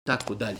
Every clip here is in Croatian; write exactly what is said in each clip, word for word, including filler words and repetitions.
tako dalje.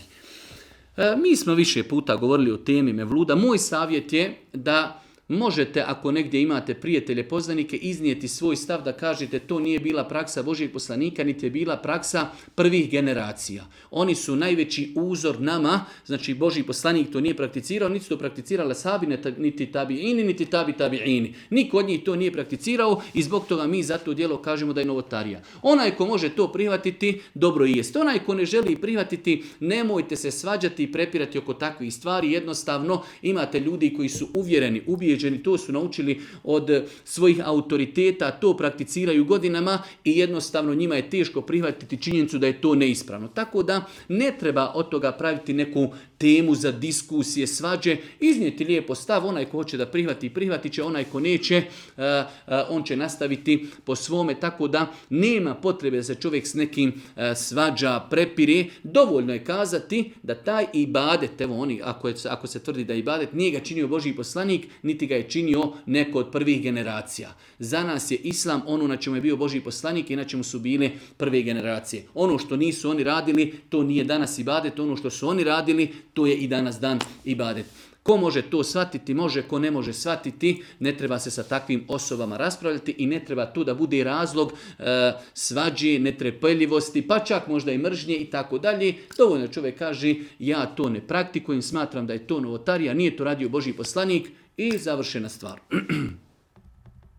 E, mi smo više puta govorili o temi mevluda. Moj savjet je da možete, ako negdje imate prijatelje, poznanike, iznijeti svoj stav da kažete to nije bila praksa Božijeg poslanika, niti je bila praksa prvih generacija. Oni su najveći uzor nama, znači Božji poslanik to nije prakticirao, niti su to prakticirale sahabi, niti tabiini, niti tabi tabiini. Niko od njih to nije prakticirao i zbog toga mi za to djelo kažemo da je novotarija. Onaj ko može to prihvatiti, dobro i jest. Onaj ko ne želi prihvatiti, nemojte se svađati i prepirati oko takvih stvari. Jednostavno imate ljudi koji su uvjereni, ubijeđeni, to su naučili od svojih autoriteta, to prakticiraju godinama i jednostavno njima je teško prihvatiti činjenicu da je to neispravno. Tako da ne treba od toga praviti neku temu za diskusije, svađe, iznijeti lijepo stav, onaj ko hoće da prihvati, prihvatit će, onaj ko neće, on će nastaviti po svome, tako da nema potrebe da se čovjek s nekim svađa, prepire. Dovoljno je kazati da taj ibadet, evo oni, ako, je, ako se tvrdi da je ibadet, nije ga činio Božji poslanik, niti ga je činio neko od prvih generacija. Za nas je islam ono na čemu je bio Božji poslanik i na čemu su bile prve generacije. Ono što nisu oni radili, to nije danas ibadet, ono što su oni radili, to je i danas dan ibadet. Ko može to shvatiti, može, ko ne može shvatiti, ne treba se sa takvim osobama raspravljati i ne treba tu da bude razlog e, svađe, netrpeljivosti, pa čak možda i mržnje i tako dalje. Dovoljno čovjek kaže, ja to ne praktikujem, smatram da je to novotarija, nije to radio Božji poslanik i završena stvar.